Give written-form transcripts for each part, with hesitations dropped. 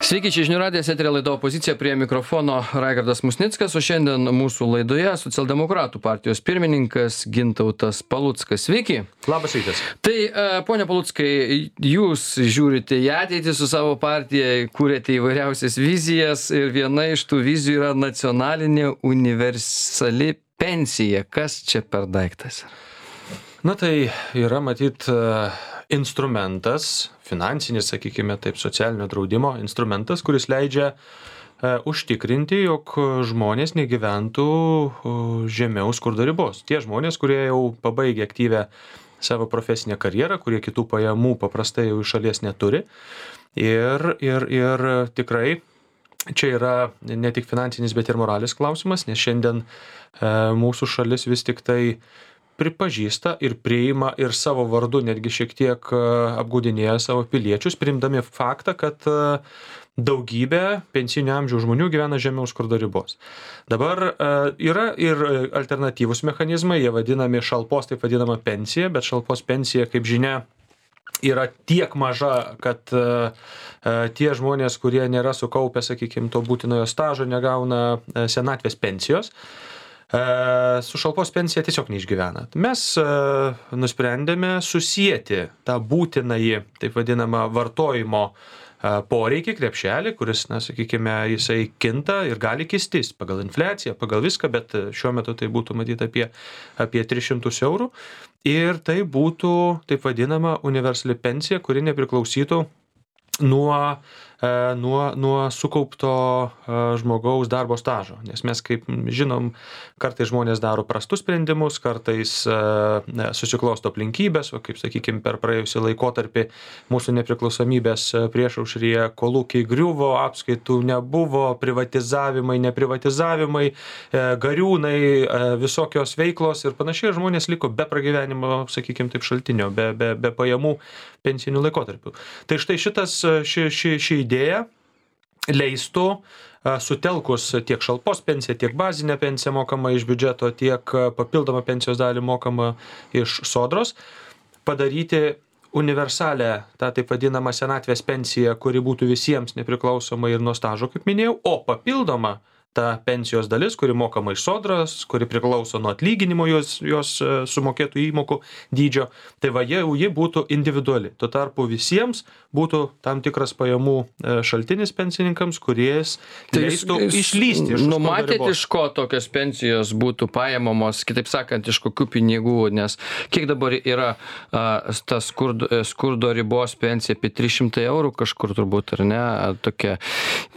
Sveiki, čia žinių radijas, eteryje laida Opozicija, prie mikrofono Raigardas Musnickas, o šiandien mūsų laidoje socialdemokratų partijos pirmininkas Gintautas Paluckas. Sveiki. Labas rytas. Tai, ponia Paluckai, jūs žiūrite į ateitį su savo partija, kūrėte įvairiausias vizijas ir viena iš tų vizijų yra nacionalinė universali pensija. Kas čia per daiktas? Na tai yra matyt instrumentas, finansinis, sakykime taip, socialinio draudimo instrumentas, kuris leidžia užtikrinti, jog žmonės negyventų žemiau skurdo ribos. Tie žmonės, kurie jau pabaigė aktyvę savo profesinę karjerą, kurie kitų pajamų paprastai jau iš šalies neturi. Ir tikrai čia yra ne tik finansinis, bet ir moralės klausimas, nes šiandien mūsų šalis vis tik tai pripažįsta ir priima ir savo vardu netgi šiek tiek apgaudinėja savo piliečius, priimdami faktą, kad daugybė pensinio amžiaus žmonių gyvena žemiau skurdo ribos. Dabar yra ir alternatyvūs mechanizmai, jie vadinami šalpos, taip vadinama pensija, bet šalpos pensija, kaip žinia, yra tiek maža, kad tie žmonės, kurie nėra sukaupę, sakykime, to būtinojo stažo, negauna senatvės pensijos. Su šalpos pensija tiesiog neišgyvena. Mes nusprendėme susijęti tą būtinąjį, taip vadinamą, vartojimo poreikį, krepšelį, kuris, na, sakykime, jisai kinta ir gali kistis pagal infliaciją, pagal viską, bet šiuo metu tai būtų matyti apie 300 eurų. Ir tai būtų, taip vadinama, universali pensija, kuri nepriklausytų nuo sukaupto žmogaus darbo stažo. Nes mes, kaip žinom, kartais žmonės daro prastus sprendimus, kartais susiklosto aplinkybės, o kaip, sakykime, per praėjusį laikotarpį mūsų nepriklausomybės priešaušryje kolūkiai griuvo, apskaitų nebuvo, privatizavimai, neprivatizavimai, gariūnai, visokios veiklos ir panašiai, žmonės liko be pragyvenimo, sakykime, taip šaltinio, be pajamų pensinių laikotarpių. Tai štai ši idėja leistų sutelkus tiek šalpos pensiją, tiek bazinę pensiją mokamą iš biudžeto, tiek papildomą pensijos dalį mokamą iš sodros, padaryti universalę, tą taip vadinamą senatvės pensiją, kuri būtų visiems nepriklausoma ir nuo stažo, kaip minėjau, o papildoma ta pensijos dalis, kuri mokama iš sodros, kuri priklauso nuo atlyginimo jos sumokėtų įmokų dydžio, tai va ji būtų individuali. Tuo tarpu visiems būtų tam tikras pajamų šaltinis pensininkams, kuris leistų išlysti iš skurdo ribos. Numatėte, iš ko tokios pensijos būtų paimamos, kitaip sakant, iš kokių pinigų, nes kiek dabar yra ta skurdo ribos pensija, apie 300 eurų kažkur turbūt, ar ne, tokia.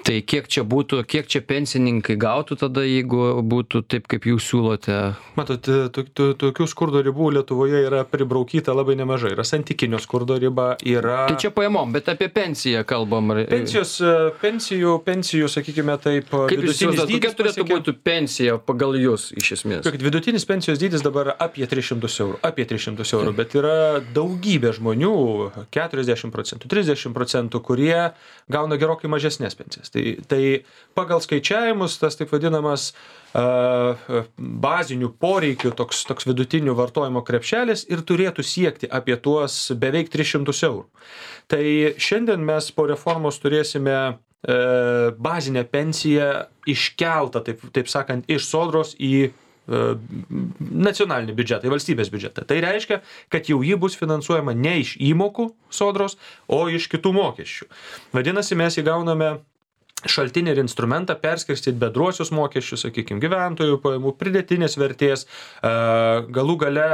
Tai kiek čia pensininkai gautų tada, jeigu būtų taip, kaip jūs siūlote? Matot, tokių skurdo ribų Lietuvoje yra pribraukyta labai nemažai. Yra santykinio skurdo riba, yra... Tai čia pajamom, bet apie pensiją kalbam. Pensijų, sakykime taip, kaip jūs siūlote, kokia turėtų būti pensija pagal jūs, iš esmės? Vidutinis pensijos dydis dabar apie 300 eurų, bet yra daugybė žmonių, 40%, 30%, kurie gauna gerokai mažesnės pensijas. Tai pagal skaičiavimus tas taip vadinamas bazinių poreikių toks vidutinių vartojimo krepšelis ir turėtų siekti apie tuos beveik 300 eurų. Tai šiandien mes po reformos turėsime bazinę pensiją iškeltą, taip sakant, iš sodros į nacionalinį biudžetą, į valstybės biudžetą. Tai reiškia, kad jau ji bus finansuojama ne iš įmokų sodros, o iš kitų mokesčių. Vadinasi, mes įgauname šaltinį ir instrumentą perskirstyti bendruosius mokesčius, sakykime, gyventojų pajamų, pridėtinės vertės, galų gale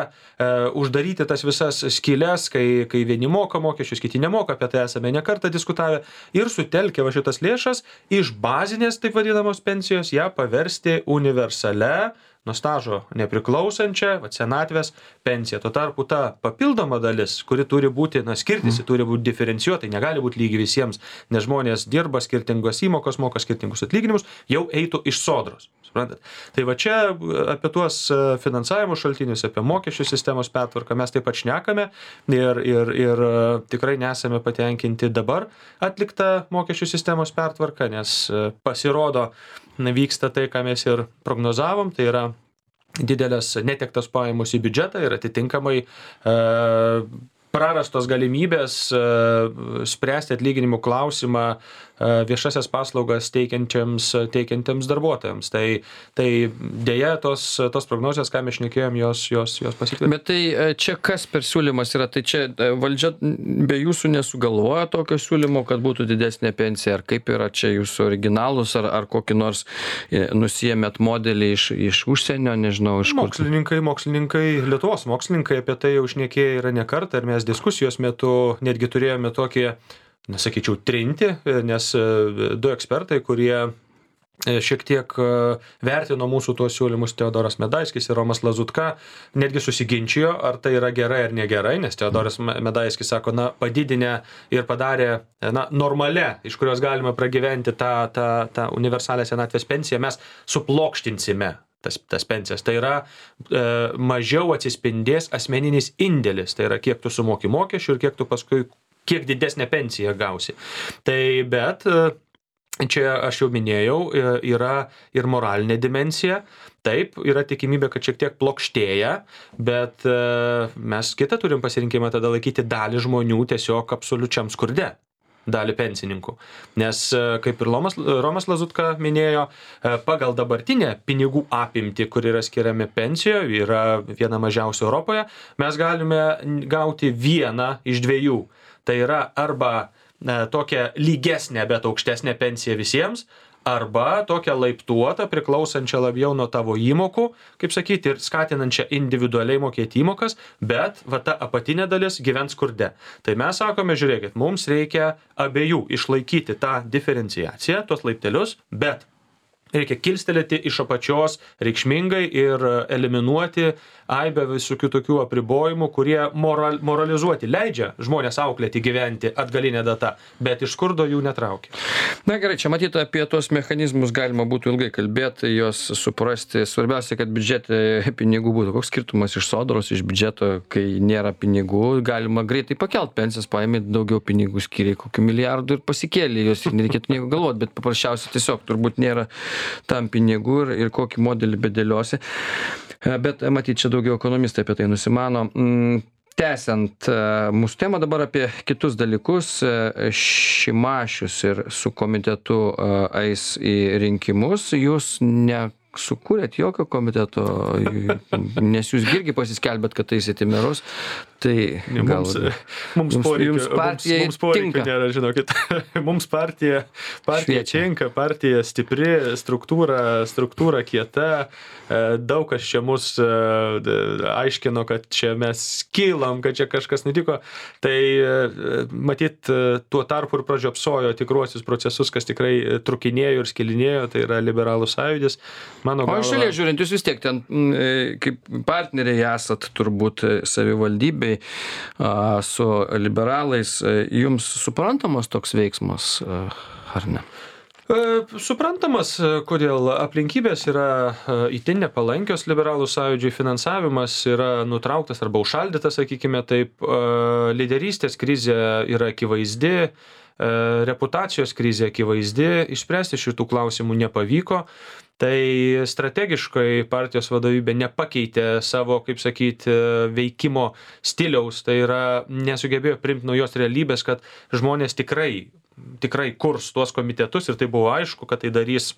uždaryti tas visas skyles, kai vieni moka mokesčius, kiti nemoka, apie tai esame ne kartą diskutavę, ir sutelkę va šitas lėšas iš bazinės, taip vadinamos pensijos, ją paversti universale, nuo stažo nepriklausančią, senatvės pensiją. Tuo tarpu ta papildoma dalis, kuri turi būti, skirtis, turi būti diferencijuota, negali būti lygi visiems, nes žmonės dirba, skirtingos įmokos, moka skirtingus atlyginimus, jau eitų iš sodros. Suprantat? Tai va čia apie tuos finansavimo šaltinius, apie mokesčių sistemos pertvarką mes taip pat šnekame ir tikrai nesame patenkinti dabar atliktą mokesčių sistemos pertvarką, nes pasirodo, vyksta tai, ką mes ir prognozavom, tai yra didelės netektos pajamos į biudžetą ir atitinkamai prarastos galimybės spręsti atlyginimų klausimą viešasias paslaugas teikiantiems darbuotojams. Tai dėja tos prognozijos, ką mes šnekėjom, jos pasitvirtino. Bet tai čia kas per siūlymas yra? Tai čia valdžia be jūsų nesugalvoja tokio siūlymo, kad būtų didesnė pensija, ar kaip yra čia jūsų originalus, ar kokį nors nusiėmėt modelį iš užsienio, nežinau, iš kur. Mokslininkai, Lietuvos mokslininkai apie tai jau šnekėję yra ne kartą ir mes diskusijos metu netgi turėjome tokį, nesakyčiau, trinti, nes du ekspertai, kurie šiek tiek vertino mūsų tuos siūlymus, Teodoras Medaiskis ir Romas Lazutka, netgi susiginčijo, ar tai yra gerai ar negerai, nes Teodoras Medaiskis sako, padidinę ir padarė normale, iš kurios galima pragyventi tą universalę senatvės pensiją, mes suplokštinsime tas pensijas. Tai yra mažiau atsispindės asmeninis indėlis, tai yra kiek tu sumoki mokesčių ir kiek tu paskui, kiek didesnę pensiją gausi. Tai bet čia aš jau minėjau, yra ir moralinė dimensija. Taip, yra tikimybė, kad šiek tiek plokštėja, bet mes kitą turim pasirinkimą tada laikyti dalį žmonių tiesiog absoliučiam skurde. Dalį pensininkų. Nes, kaip ir Romas Lazutka minėjo, pagal dabartinę pinigų apimtį, kur yra skiriami pensijoje, yra viena mažiausia Europoje, mes galime gauti vieną iš dviejų. Tai yra arba tokią lygesnę, bet aukštesnę pensiją visiems, arba tokią laiptuotą, priklausančią labiau nuo tavo įmokų, kaip sakyti, ir skatinančią individualiai mokėti įmokas, bet ta apatinė dalis gyvens skurde. Tai mes sakome, žiūrėkit, mums reikia abiejų išlaikyti tą diferenciaciją, tuos laiptelius, bet reikia kilstelėti iš apačios reikšmingai ir eliminuoti aibę visokių tokių apribojimų, kurie moralizuoti leidžia žmonės auklėti gyventi atgalinę datą, bet iš skurdo jų netraukia. Na gerai, čia matyti apie tuos mechanizmus galima būtų ilgai kalbėti, juos suprasti. Svarbiausia, kad biudžete pinigų būtų. Koks skirtumas iš sodros, iš biudžeto, kai nėra pinigų, galima greitai pakelt pensijas, paėmė daugiau pinigų skiriai, kokių milijardų ir pasikėlė, jos nereikėtų nieko galvoti, bet paprasčiausiai tiesiog turbūt nėra tam pinigų ir kokį modelį bedėliosi. Bet matyt, čia daugiau ekonomistai apie tai nusimano. Tęsiant mūsų temą dabar apie kitus dalykus, Šimašius ir su komitetu eis į rinkimus, jūs nesukūrėt jokio komiteto, nes jūs irgi pasiskelbėt, kad eisit į merus. Tai mums poreikių nėra, žinokit. Mums partija tinka, partija stipri, struktūra kieta. Daug kas čia mus aiškino, kad čia mes kylam, kad čia kažkas nutiko. Tai matyt, tuo tarpu ir pražiopsojo tikruosius procesus, kas tikrai trukinėjo ir skilinėjo, tai yra Liberalų sąjūdis. O iš šalies žiūrint, jūs vis tiek ten kaip partneriai esat turbūt savivaldybėj su liberalais, jums suprantamas toks veiksmas, ar ne? Suprantamas, kodėl aplinkybės yra itin nepalankios Liberalų sąjūdžiui, finansavimas yra nutrauktas arba užšaldytas, sakykime taip, lyderystės krizė yra akivaizdi, reputacijos krizė akivaizdi, išspręsti šitų klausimų nepavyko. Tai strategiškai partijos vadovybė nepakeitė savo, kaip sakyti, veikimo stiliaus, tai yra nesugebėjo priimti naujos realybės, kad žmonės tikrai kurs tuos komitetus ir tai buvo aišku, kad tai darys.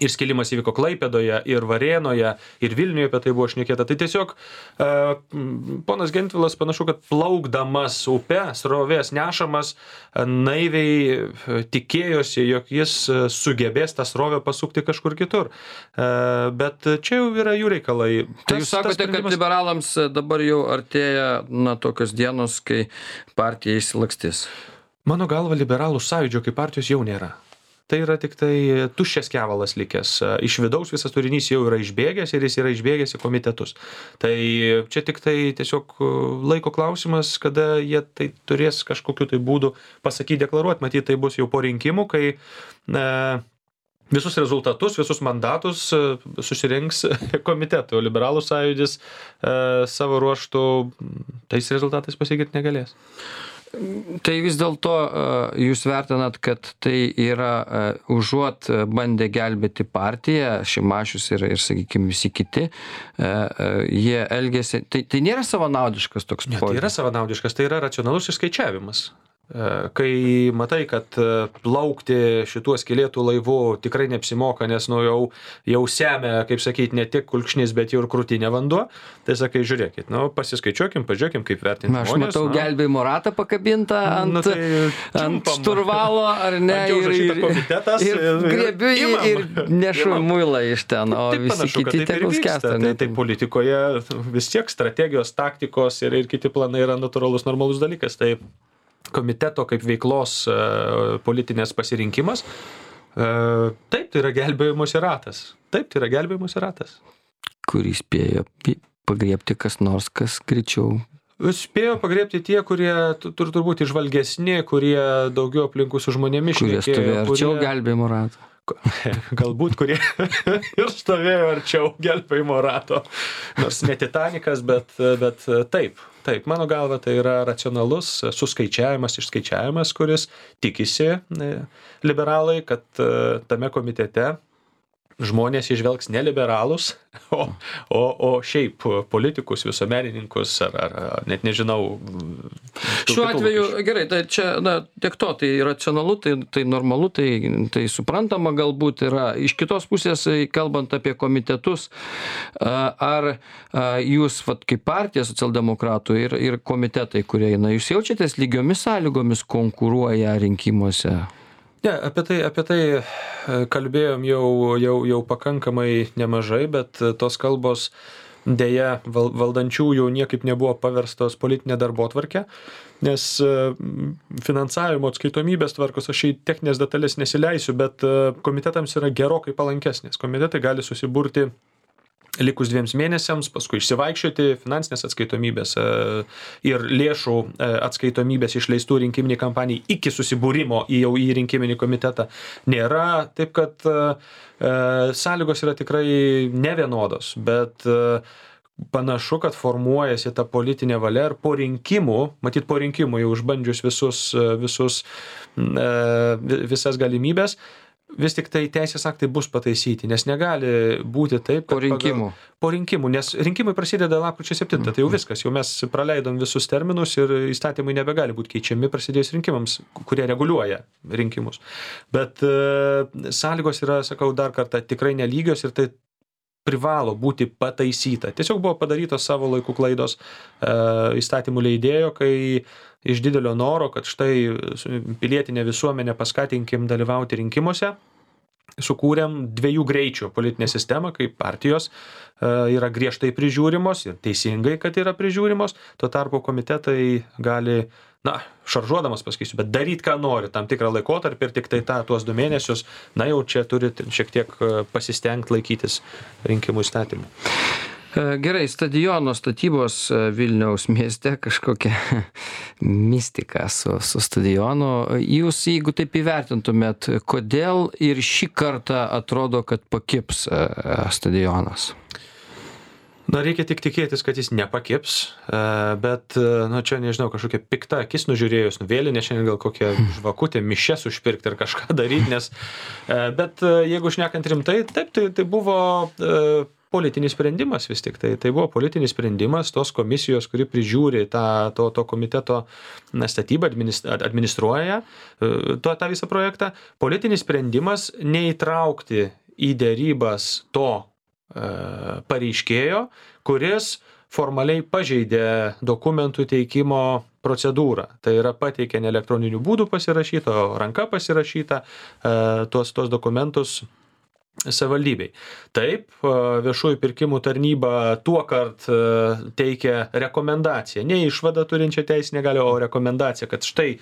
Ir skilimas įvyko Klaipėdoje, ir Varėnoje, ir Vilniuje apie tai buvo šnekėta. Tai tiesiog ponas Gentvilas panašu, kad plaukdamas upe, srovės nešamas, naiviai tikėjosi, jog jis sugebės tą srovę pasukti kažkur kitur. Bet čia jau yra jų reikalai. Tai jūs sakote, kad liberalams dabar jau artėja tokios dienos, kai partija išsilakstys? Mano galva, Liberalų sąjūdžio kaip partijos jau nėra. Tai yra tik tai tuščias kevalas likęs. Iš vidaus visas turinys jau yra išbėgęs ir jis yra išbėgęs į komitetus. Tai čia tik tai tiesiog laiko klausimas, kada jie tai turės kažkokiu tai būdu pasakyti, deklaruoti. Matyt, tai bus jau po rinkimų, kai visus rezultatus, visus mandatus susirinks komitetų. Liberalų sąjūdis savo ruožtų tais rezultatais pasakyti negalės. Tai vis dėlto jūs vertinat, kad tai yra užuot bandę gelbėti partiją, Šimašius ir sakykime, visi kiti, jie elgėsi, tai nėra savanaudiškas toks požiūris. Tai yra savanaudiškas, tai yra racionalus išskaičiavimas. Kai matai, kad plaukti šituo skylėtų laivu tikrai neapsimoka, nes jau semia, kaip sakyti, ne tik kulkšnis, bet jau ir krūtinė vanduo, tai sakai, žiūrėkit, pasiskaičiuokim, pažiūrėkim, kaip vertinti žmonės. Aš matau gelbėjimo ratą pakabintą ant šturvalo, ar ne, ir griebiu jį ir nešu muilą iš ten, o visi kiti tegul skęsta. Tai politikoje vis tiek strategijos, taktikos ir kiti planai yra natūralus, normalus dalykas. Tai komiteto kaip veiklos politinės pasirinkimas, taip, tai yra gelbėjimosi ratas. Taip, tai yra gelbėjimosi ratas. Kurį spėjo pagriebti kas nors, kas greičiau? Spėjo pagriebti tie, kurie turbūt įžvalgesni, kurie daugiau aplinkų su žmonėmis šnekėjo. Kurie stovėjo arčiau gelbėjimo rato. Galbūt, kurie ir stovėjo arčiau gelbėjimo rato. Nors ne Titanikas, bet taip. Taip, mano galva, tai yra racionalus suskaičiavimas, išskaičiavimas, kuris tikisi liberalai, kad tame komitete žmonės išvelgs ne liberalus, o šiaip politikus, visuomenininkus ar net nežinau. Šiuo atveju, gerai, tai čia, tiek to, tai racionalu, tai normalu, tai suprantama galbūt yra. Iš kitos pusės, kalbant apie komitetus, ar jūs, kaip partija socialdemokratų ir komitetai, kurie eina, jūs jaučiatės lygiomis sąlygomis konkuruoja rinkimuose? Ne, apie tai kalbėjom jau pakankamai nemažai, bet tos kalbos dėja valdančiųjų niekaip nebuvo paverstos politinė darbotvarkė, nes finansavimo atskaitomybės tvarkos, aš į techninės detalės nesileisiu, bet komitetams yra gerokai palankesnės. Komitetai gali susiburti likus 2 mėnesiams, paskui išsivaikščioti finansinės atskaitomybės ir lėšų atskaitomybės išleistų rinkiminiai kampanijai iki susibūrimo jau į rinkiminį komitetą nėra. Taip kad sąlygos yra tikrai nevienodos, bet panašu, kad formuojasi ta politinė valia ir po rinkimų jau užbandžius visas galimybės, vis tik tai teisės aktai bus pataisyti, nes negali būti taip, kad po rinkimų, nes rinkimai prasideda lapkričio 7, tai jau viskas, jau mes praleidom visus terminus ir įstatymai nebegali būti keičiami prasidėjus rinkimams, kurie reguliuoja rinkimus. Bet sąlygos yra, sakau dar kartą, tikrai nelygios ir tai privalo būti pataisyta. Tiesiog buvo padarytos savo laikų klaidos įstatymų leidėjo, kai iš didelio noro, kad štai pilietinę visuomenę paskatinkim dalyvauti rinkimuose, sukūrėm 2 greičių politinę sistemą, kai partijos yra griežtai prižiūrimos ir teisingai, kad yra prižiūrimos, tuo tarpu komitetai gali, šaržuodamas pasakysiu, bet daryti, ką nori, tam tikrą laikotarpį ir tik tai tuos 2 mėnesius, jau čia turit šiek tiek pasistengti laikytis rinkimų įstatymų. Gerai, stadiono statybos Vilniaus mieste kažkokia mistika su stadionu. Jūs, jeigu taip įvertintumėt, kodėl ir šį kartą atrodo, kad pakibs stadionas? Reikia tik tikėtis, kad jis nepakips, bet, čia nežinau, kažkokia pikta akis nužiūrėjus, vėlinė šiandien gal kokią žvakutę, mišes užpirkti ir kažką daryti, bet jeigu šnekant rimtai, taip, tai buvo politinis sprendimas vis tik. Tai buvo politinis sprendimas tos komisijos, kuri prižiūri to komiteto statybą, administruoja tą visą projektą. Politinis sprendimas neįtraukti į derybas to pareiškėjo, kuris formaliai pažeidė dokumentų teikimo procedūrą. Tai yra pateikė ne elektroniniu būdu pasirašyta, o ranka pasirašyta tuos dokumentus savivaldybei. Taip, viešųjų pirkimų tarnyba tuokart teikia rekomendaciją, ne išvadą turinčią teisinę galią, o rekomendaciją, kad štai,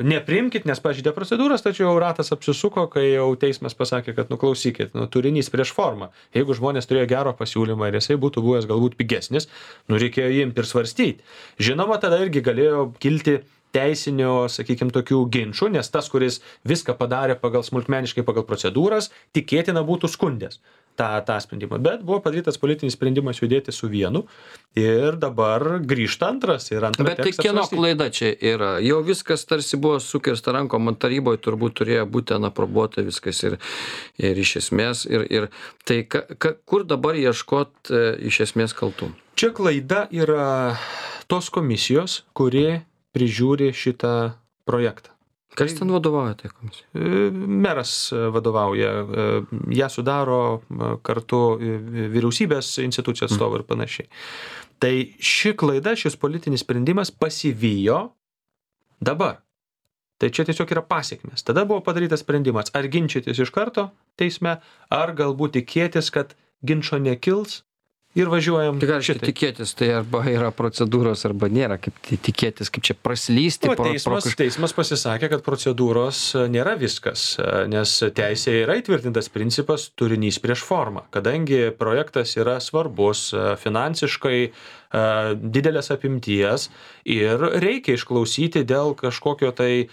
nepriimkit, nes pažeidė procedūras, tačiau ratas apsisuko, kai jau teismas pasakė, kad klausykit, turinys prieš formą. Jeigu žmonės turėjo gero pasiūlymą ir jisai būtų buvęs galbūt pigesnis, reikėjo imti ir svarstyti. Žinoma, tada irgi galėjo kilti teisinio, sakykime, tokių ginčių, nes tas, kuris viską padarė smulkmeniškai pagal procedūras, tikėtina būtų skundęs tą sprendimą. Bet buvo padarytas politinis sprendimas judėti su vienu ir dabar grįžta antras. Bet tai kieno klaida čia yra? Jau viskas tarsi buvo sukirsta rankom, ant taryboje turbūt turėjo būti aprobuota viskas ir iš esmės. Ir tai kur dabar ieškot iš esmės kaltų? Čia klaida yra tos komisijos, kuri prižiūri šitą projektą. Kas ten vadovauja tai komisijai? Meras vadovauja, ją sudaro kartu vyriausybės institucijų atstovai ir panašiai. Tai ši klaida, šis politinis sprendimas pasivijo dabar. Tai čia tiesiog yra pasiekmes. Tada buvo padarytas sprendimas, ar ginčytis iš karto teisme, ar galbūt tikėtis, kad ginčo nekils ir važiuojam Tik aišku, tikėtis, tai arba yra procedūros, arba nėra, kaip tikėtis, kaip čia praslysti. Teismas pasisakė, kad procedūros nėra viskas, nes teisėje yra įtvirtintas principas turinys prieš formą. Kadangi projektas yra svarbus, finansiškai didelės apimties ir reikia išklausyti dėl kažkokio tai,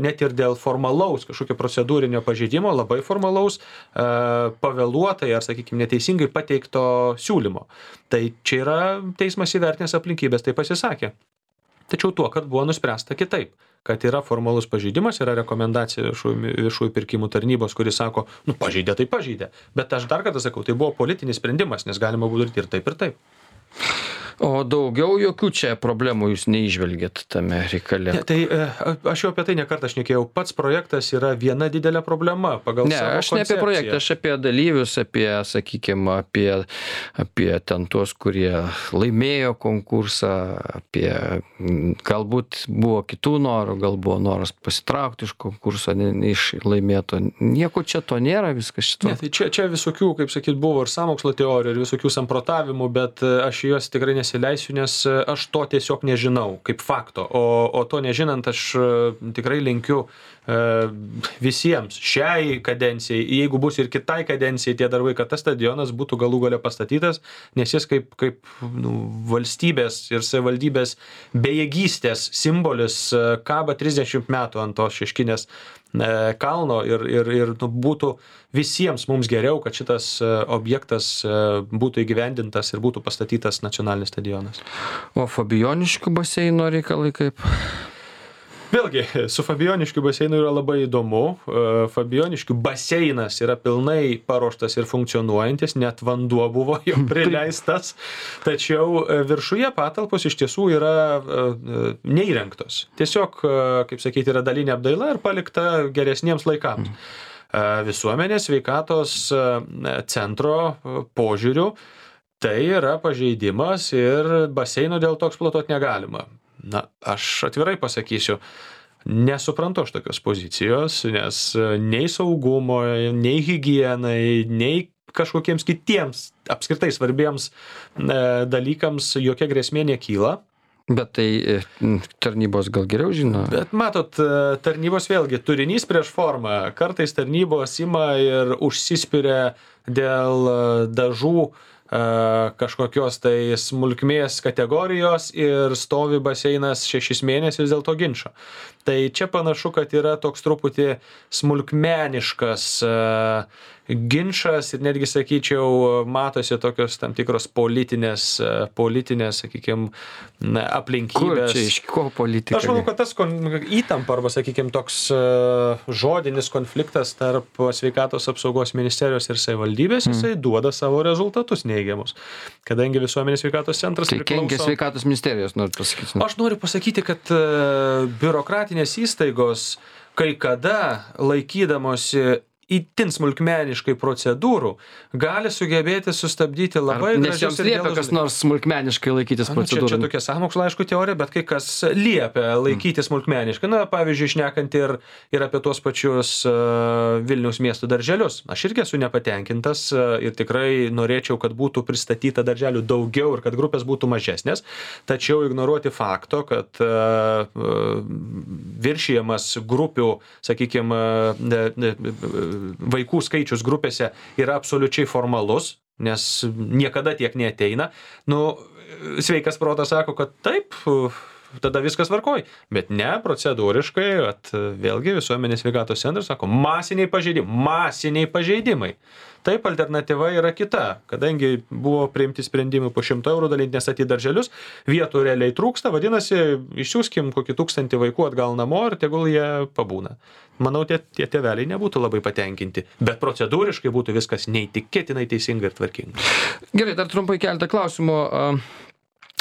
net ir dėl formalaus, kažkokio procedūrinio pažeidimo, labai formalaus, pavėluotai ar, sakykime, neteisingai pateikto siūlymo. Tai čia yra teismas įvertinęs aplinkybės, tai pasisakė. Tačiau tuo, kad buvo nuspręsta kitaip, kad yra formalus pažeidimas, yra rekomendacija viešųjų pirkimų tarnybos, kuris sako, pažeidė, tai pažeidė. Bet aš dar kartą sakau, tai buvo politinis sprendimas, nes galima buvo daryti ir taip, ir taip. O daugiau jokių čia problemų jūs neįžvelgėt tame reikale? Ne, tai aš jau apie tai nekartą šnekėjau. Pats projektas yra viena didelė problema pagal savo koncepciją. Ne, aš ne apie projektą, aš apie dalyvius, sakykime, apie ten tuos, kurie laimėjo konkursą, apie galbūt buvo kitų norų, gal buvo noras pasitraukti iš konkurso, iš laimėto. Nieko čia to nėra, viskas šito. Ne, tai čia visokių, kaip sakyt, buvo ir sąmokslo teorijų, ir visokių samprotavimų, bet aš juos tikrai nesileisiu, nes aš to tiesiog nežinau kaip fakto, o to nežinant aš tikrai linkiu visiems šiai kadencijai, jeigu bus ir kitai kadencijai tie darbai, kad tas stadionas būtų galų gale pastatytas, nes jis kaip valstybės ir savivaldybės bejėgystės simbolis kaba 30 metų ant tos Šeškinės kalno ir būtų visiems mums geriau, kad šitas objektas būtų įgyvendintas ir būtų pastatytas nacionalinis stadionas. O Fabijoniškių baseino reikalai kaip? Vėlgi, su Fabijoniškių baseinu yra labai įdomu. Fabijoniškių baseinas yra pilnai paruoštas ir funkcionuojantis, net vanduo buvo jau prileistas, tačiau viršuje patalpos iš tiesų yra neįrengtos. Tiesiog, kaip sakyti, yra dalinė apdaila ir palikta geresniems laikams. Visuomenės sveikatos centro požiūriu tai yra pažeidimas ir baseino dėl to eksploatuoti negalima. Na, aš atvirai pasakysiu, nesuprantu aš tokios pozicijos, nes nei saugumo, nei higienai, nei kažkokiems kitiems apskritai svarbiems dalykams jokia grėsmė nekyla. Bet tai tarnybos gal geriau žino? Bet matot, tarnybos vėlgi turinys prieš formą. Kartais tarnybos ima ir užsispiria dėl dažų kažkokios tai smulkmės kategorijos ir stovi baseinas 6 mėnesius dėl to ginčo. Tai čia panašu, kad yra toks truputį smulkmeniškas ginčas ir netgi, sakyčiau, matosi tokios tam tikros politinės, sakykime, aplinkybės. Kur čia, iš ko politika? Aš manau, kad tas įtampa arba, sakykime, toks žodinis konfliktas tarp sveikatos apsaugos ministerijos ir savivaldybės, jisai duoda savo rezultatus neigiamus. Kadangi visuomenės sveikatos centras priklauso... Tai kenkia sveikatos ministerijos, noriu pasakyti. Aš noriu pasakyti, kad biurokratinės įstaigos kai kada laikydamosi itin smulkmeniškai procedūrų gali sugebėti sustabdyti labai gražius... Nes joms liepia kas nors smulkmeniškai laikytis procedūrų. Čia tokia sąmokslo, aišku, teorija, bet kai kas liepia laikyti smulkmeniškai. Na, pavyzdžiui, šnekant ir apie tuos pačius Vilniaus miestų darželius. Aš irgi esu nepatenkintas ir tikrai norėčiau, kad būtų pristatyta darželių daugiau ir kad grupės būtų mažesnės. Tačiau ignoruoti fakto, kad viršijamas grupių, sakykime, vaikų skaičius grupėse yra absoliučiai formalus, nes niekada tiek neateina. Sveikas protas sako, kad taip, tada viskas tvarkoj. Bet ne, procedūriškai, vėlgi visuomenės sveikatos centras sako, masiniai pažeidimai. Taip, alternatyva yra kita, kadangi buvo priimti sprendimai po 100 eurų dalinti nestatyti darželius, vietų realiai trūksta, vadinasi, išsiųskim kokį 1000 vaikų atgal namo ir tegul jie pabūna. Manau, tie tėveliai nebūtų labai patenkinti, bet procedūriškai būtų viskas neįtikėtinai teisinga ir tvarkinga. Gerai, dar trumpai keletą klausimų.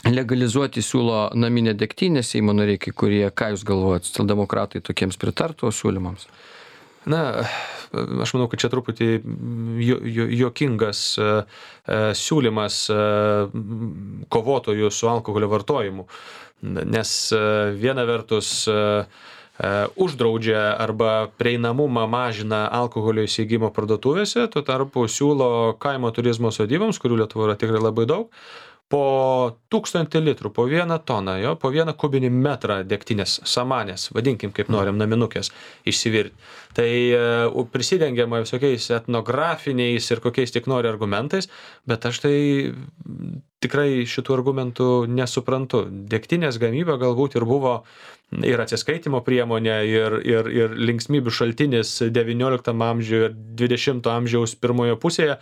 legalizuoti siūlo naminę degtinę Seimo nariai kai kurie. Ką jūs galvojat, socialdemokratai tokiems pritartų siūlymams? Na, aš manau, kad čia truputį juokingas siūlymas kovotojų su alkoholio vartojimu. Nes viena vertus uždraudžia arba prieinamumą mažina alkoholio įsigijimo parduotuvėse, tuo tarpu siūlo kaimo turizmo sodyboms, kurių Lietuvoje yra tikrai labai daug, po 1000 litrų, po 1 toną, po 1 kubinį metrą degtinės, samanės, vadinkim kaip norim, naminukės, išsivirti. Tai prisidengiama visokiais etnografiniais ir kokiais tik nori argumentais, bet aš tai tikrai šitų argumentų nesuprantu. Degtinės gamyba galbūt ir buvo ir atsiskaitimo priemonė, ir linksmybių šaltinis 19 amžiuje ir 20 amžiaus pirmojo pusėje.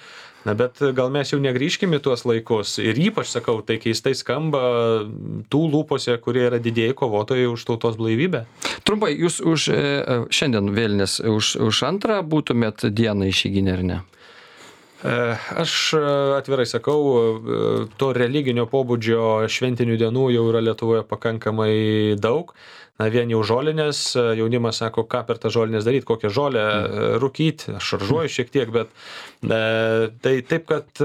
Na, bet gal mes jau negrįžkime į tuos laikus. Ir ypač, sakau, tai keistai skamba tų lūpose, kurie yra didieji kovotojai už tautos blaivybę. Trumpai, jūs už šiandien vėlinės už antrą būtumėt dieną išeiginę, ar ne? Aš atvirai sakau, to religinio pobūdžio šventinių dienų jau yra Lietuvoje pakankamai daug. Na, vien jau žolinės, jaunimas sako, ką per tą žolinės daryti, kokią žolę rūkyti, aš šaržuoju šiek tiek, bet tai taip, kad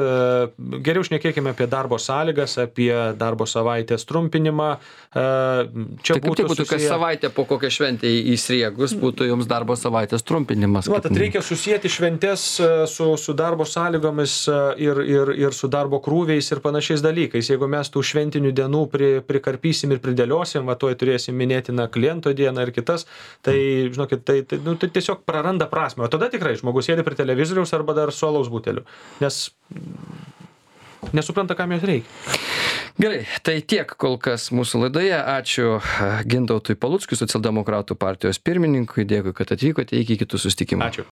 geriau šnekėkime apie darbo sąlygas, apie darbo savaitės trumpinimą. Čia tai būtų kas savaitę po kokią šventę įsriegus, būtų jums darbo savaitės trumpinimas. Tad reikia susijęti šventės su darbo sąlygomis ir su darbo krūviais ir panašiais dalykais. Jeigu mes tų šventinių dienų prikarpysim ir pridėliosim, va tuoj turėsim minėti kliento dieną ir kitas, tai, žinokit, tai tiesiog praranda prasmę. O tada tikrai žmogus sėdi prie televizoriaus arba dar su alaus buteliu, nes nesupranta, kam jos reikia. Gerai, tai tiek kol kas mūsų laidoje. Ačiū Gintautui Paluckui, socialdemokratų partijos pirmininkui. Dėkui, kad atvykote. Iki kitų susitikimų. Ačiū.